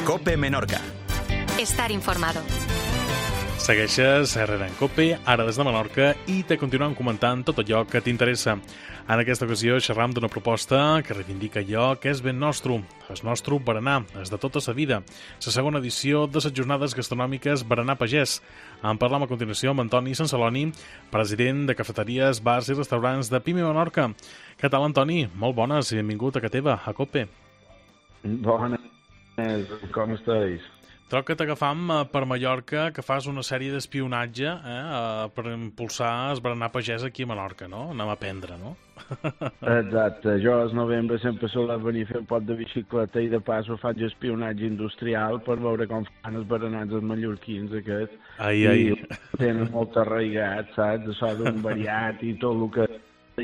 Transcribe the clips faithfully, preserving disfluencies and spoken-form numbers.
COPE Menorca. Estar informado. Segueixes Herrera en COPE, ara des de Menorca, i te continuem comentant tot allò que t'interessa. En aquesta ocasió xerram d'una proposta que reivindica allò que és ben nostre, el nostre berenar, és de tota sa vida. La segona edició de les jornades gastronòmiques Berenar Pagès. En parlam a continuació amb Antoni Sansaloni, president de cafeteries, bars i restaurants de Pime Menorca. Què tal, Antoni? Molt bones i benvingut a casa teva, a COPE. Bones, com estàs? Troc que t'agafam per Mallorca, que fas una sèrie d'espionatge eh, per impulsar el berenar pagès aquí a Menorca, no? Anem a aprendre, no? Exacte. Jo al novembre sempre solia venir a fer un pot de bicicleta i de pas ho faig espionatge industrial per veure com fan els berenats els mallorquins aquests. Ai, ai. I tenen molt arraigat, saps? Això d'un variat i tot el que...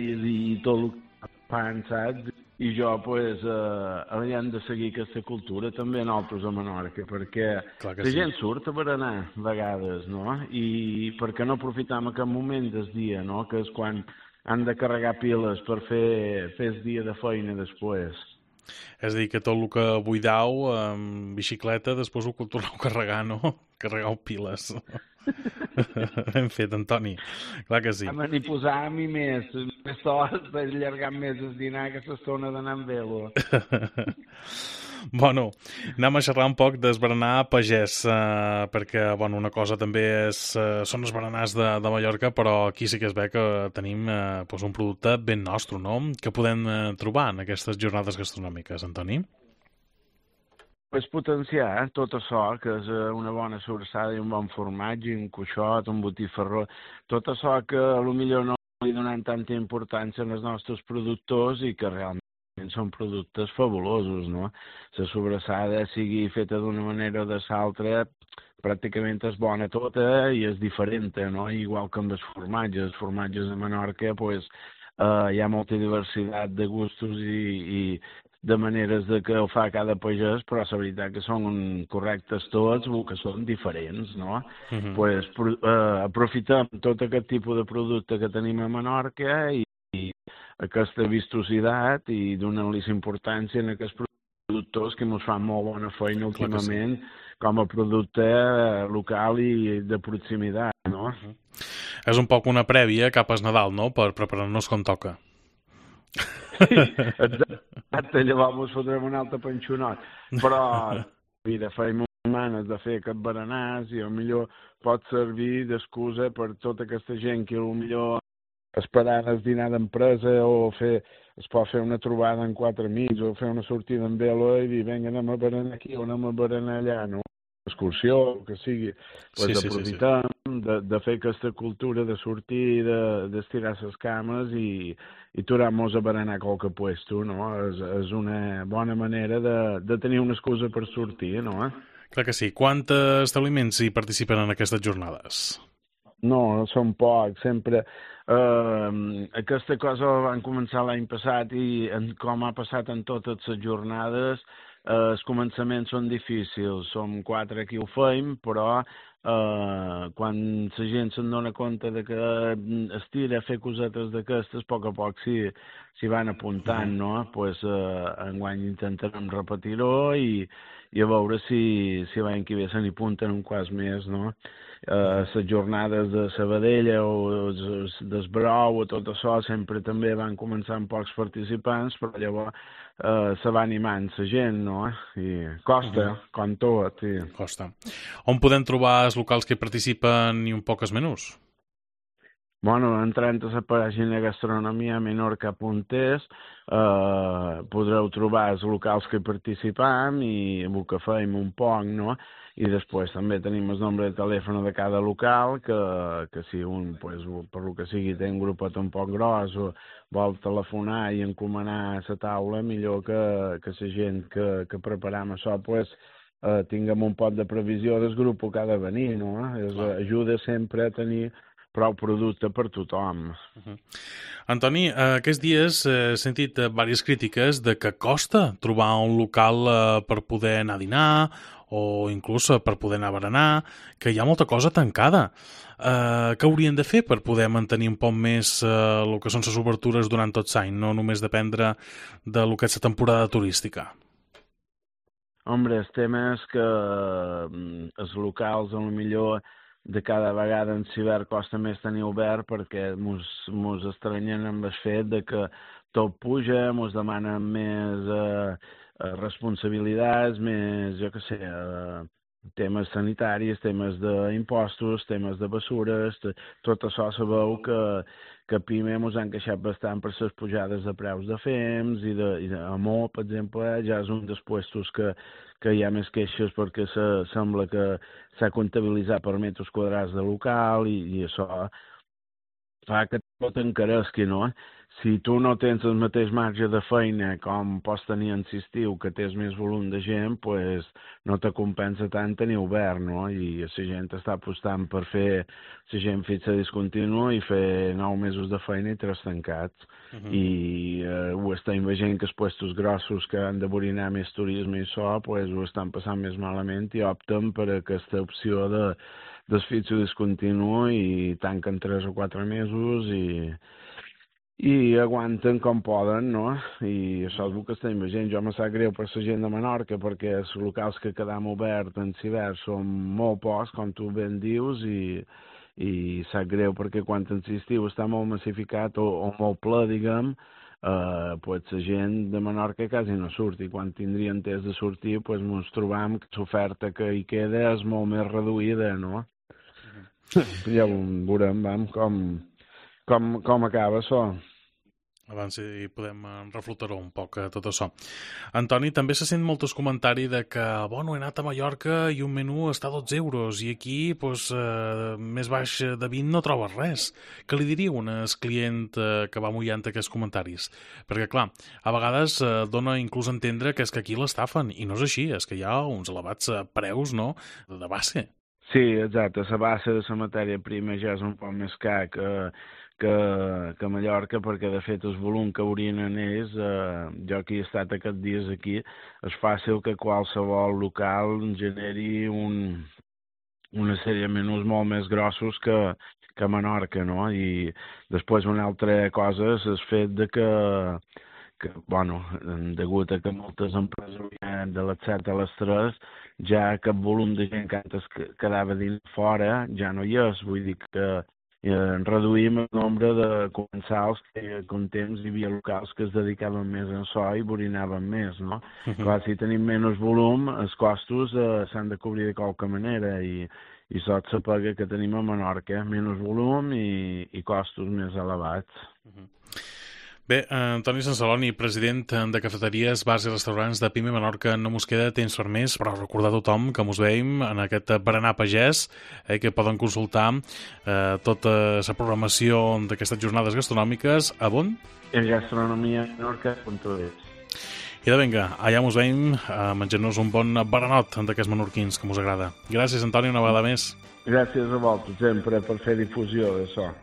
i tot el que fan, saps? I jo, pues, eh, hem de seguir aquesta cultura també nosaltres a Menorca, perquè la sí. gent surt a berenar a vegades, no? I per què no aprofitam aquest moment del dia, no? Que és quan han de carregar piles per fer, fer el dia de feina després. És a dir, que tot el que buidau amb bicicleta després ho torneu a carregar, no? Carregau piles. Ben fet, Antoni. Clar que sí. Home, ni posar a mi més, més sols per allargar més el dinar que s'estona d'anar amb velo. Bueno, anem a xerrar un poc del berenar pagès, eh, perquè bueno, una cosa també és, eh, són els berenars de, de Mallorca, però aquí sí que es ve que tenim eh, doncs un producte ben nostre, no? Que podem eh, trobar en aquestes jornades gastronòmiques, Antoni? És potenciar tot això, que és una bona sobrassada i un bon formatge, un cuixot, un botifarró, tot això que potser no li donem tanta importància als nostres productors i que realment són productes fabulosos, no? La sobrassada, sigui feta d'una manera o de l'altra, pràcticament és bona tota i és diferent, no? Igual que amb els formatges. Els formatges de Menorca, pues, eh, hi ha molta diversitat de gustos i, i de maneres de que ho fa cada pagès, però la veritat que són correctes tots, que són diferents, no? Uh-huh. Pues, eh, aprofitem tot aquest tipus de producte que tenim a Menorca i, i aquesta vistositat i donem-li importància en aquests productors que ens fan molt bona feina últimament sí. Com a producte local i de proximitat, no? Uh-huh. És un poc una prèvia cap al Nadal, no?, per preparar-nos com toca. Sí, exacte, llavors ens fotrem un altre panxonot. Però, mira, feim manes de fer aquest berenars i potser pot servir d'excusa per tota aquesta gent que potser esperant el dinar d'empresa o fer, es pot fer una trobada en quatre amics o fer una sortida en velo i dir, vinga, anem a berenar aquí o anem a berenar allà, no? Excursió, el que sigui, pues sí, aprofitem sí, sí, sí. De, de fer aquesta cultura de sortir, d'estirar de, les cames i, i turar-nos a berenar qualque puesto, no? És, és una bona manera de, de tenir una excusa per sortir, no? Clar que sí. Quants establiments hi participen en aquestes jornades? No, són pocs, sempre. Uh, aquesta cosa van començar l'any passat i en, com ha passat en totes les jornades, Uh, els començaments són difícils, som quatre qui ho feim, però uh, quan la gent se'n dona compte de que es tira a fer cosetes d'aquestes, a poc a poc s'hi si van apuntant, no? Pues, uh, enguany intentarem repetir-ho i, i a veure si, si l'any que ve se n'hi apunten un quart més, no? Uh, les jornades de Sabadell o del Brou o tot això sempre també van començar amb pocs participants, però llavors uh, se va animant la gent, no? I costa, uh-huh. com tot. I... Costa. On podem trobar els locals que hi participen i un poc els menús? Bueno, entrant a la pàgina gastronomia menorca punt es eh, podreu trobar els locals que hi participam i el que fem un poc, no? I després també tenim el nombre de telèfon de cada local, que, que si un, pues, per lo que sigui, té un grupet un poc gros o vol telefonar i encomanar a la taula, millor que, que la gent que, que preparam això, pues, eh, tinguem un pot de previsió del grup que ha de venir, no? Es, ajuda sempre a tenir prou producte per tothom. Uh-huh. Antoni, eh, aquests dies he sentit eh, diverses crítiques de que costa trobar un local eh, per poder anar a dinar o inclús per poder anar a berenar, que hi ha molta cosa tancada. Eh, què haurien de fer per poder mantenir un poc més eh, el que són les obertures durant tot l'any, no només dependre de lo que és la temporada turística? Hombre, el tema és que els locals, a lo millor, de cada vegada en cibert costa més tenir obert perquè mos, mos estranyen amb el fet de que tot puja, mos demanen més eh, responsabilitats, més, jo què sé, eh, temes sanitaris, temes d'impostos, temes de bessures, tot això sabeu que, que a PIME ens han queixat bastant per les pujades de preus de fems i de, i de Amor, per exemple, ja és un dels puestos que, que hi ha més queixes perquè se, sembla que s'ha comptabilitzat per metres quadrats de local i, i això fa que tot encaresqui, no? Si tu no tens el mateix marge de feina com pots tenir en l'estiu, que tens més volum de gent, pues no te compensa tant tenir obert, no? I la gent està apostant per fer la gent fixa discontínua i fer nou mesos de feina i tres tancats. Uh -huh. I eh, ho estem veient que els puestos grossos que han de borinar més turisme i això, pues ho estan passant més malament i opten per aquesta opció de desfitxo discontinu i tanquen tres o quatre mesos i, i aguanten com poden, no? I això és el que estem veient. Jo me sap greu per la gent de Menorca perquè els locals que quedam oberts en cibert són molt pocs, com tu ben dius, i, i sap greu perquè quan en l'estiu està molt massificat o, o molt ple, diguem, Uh, pues la gent de Menorca quasi no surt i quan tindrien temps de sortir pues ens trobam que l'oferta que hi queda és molt més reduïda, no? Uh-huh. Ja ho veurem, vam, com, com, com acaba això. Abans hi podem reflotar-ho un poc, tot això. Antoni, també se sent molts comentaris de que, bueno, he anat a Mallorca i un menú està a dotze euros i aquí, pues, eh, més baix de vint no trobes res. Què li diria un client eh, que va mullant aquests comentaris? Perquè, clar, a vegades eh, dona inclús a entendre que és que aquí l'estafen, i no és així, és que hi ha uns elevats preus, no?, de base. Sí, exacte, la base de la matèria prima ja és un poc més car que... Que, que a Mallorca, perquè de fet el volum que orinen ells, eh, jo que he estat aquests dies aquí, és fàcil que qualsevol local generi un, una sèrie de menús molt més grossos que, que a Menorca, no? I després una altra cosa és el fet de que, que bueno, degut a que moltes empreses de les set a les tres, ja aquest volum de gent que antes quedava dins fora ja no hi és, vull dir que Eh, reduïm el nombre de comensals que con temps hi havia locals que es dedicaven més a això i borinaven més, no? Uh-huh. Clar, si tenim menys volum, els costos eh, s'han de cobrir de qualque manera i, i sot se paga que tenim a Menorca, menys volum i, i costos més elevats. Uh-huh. Bé, Antoni Sansaloni, president de cafeteries, bars i restaurants de PIME Menorca, no mos queda temps per més, però recordar a tothom que mos veiem en aquest berenar pagès, eh, que poden consultar eh, tota la programació d'aquestes jornades gastronòmiques a on? En gastronomia menorca punt es. I de vinga, allà mos veiem a menjar-nos un bon berenot d'aquests menorquins que mos agrada. Gràcies, Antoni, una vegada més. Gràcies a vosaltres, sempre, per fer difusió d'això.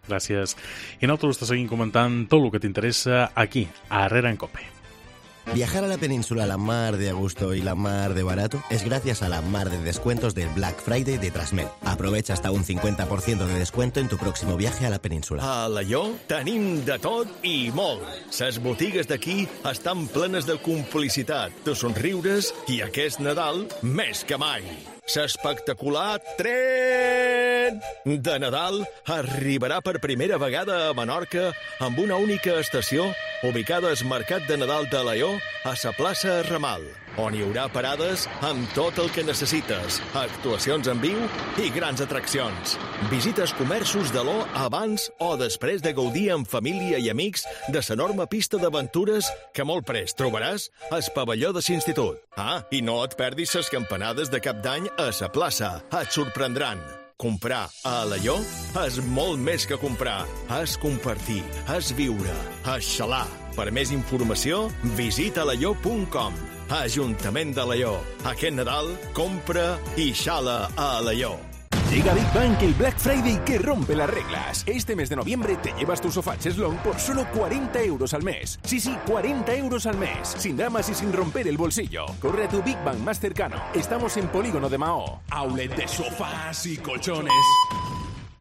Gràcies. I nosaltres te seguim comentant tot el que t'interessa aquí, a Herrera en Cope. Viajar a la península la mar de a gusto y la mar de barato es gracias a la mar de descuentos del Black Friday de Trasmed. Aprovecha hasta un cincuenta por ciento de descuento en tu próximo viaje a la península. A Alaior tenim de tot i molt. Ses botigues d'aquí estan plenes de complicitat, de somriures i aquest Nadal més que mai. L'espectacular tren de Nadal arribarà per primera vegada a Menorca amb una única estació ubicada al Mercat de Nadal de Alaior a la plaça Ramal, on hi haurà parades amb tot el que necessites, actuacions en viu i grans atraccions. Visites comerços d'Alaior abans o després de gaudir amb família i amics de l'enorme pista d'aventures que molt prest trobaràs al pavelló de l'institut. Ah, i no et perdis les campanades de cap d'any a la plaça. Et sorprendran. Comprar a Alaior és molt més que comprar. És compartir, és viure, és xalar. Per més informació, visita alaior punt com. Ajuntament d'Alaior. Aquest Nadal, compra i xala a Alaior. Llega Big Bang, el Black Friday que rompe las reglas. Este mes de noviembre te llevas tu sofá Cheslong por solo cuarenta euros al mes. Sí, sí, cuarenta euros al mes. Sin dramas y sin romper el bolsillo. Corre a tu Big Bang más cercano. Estamos en Polígono de Mahó. Outlet de sofás y colchones.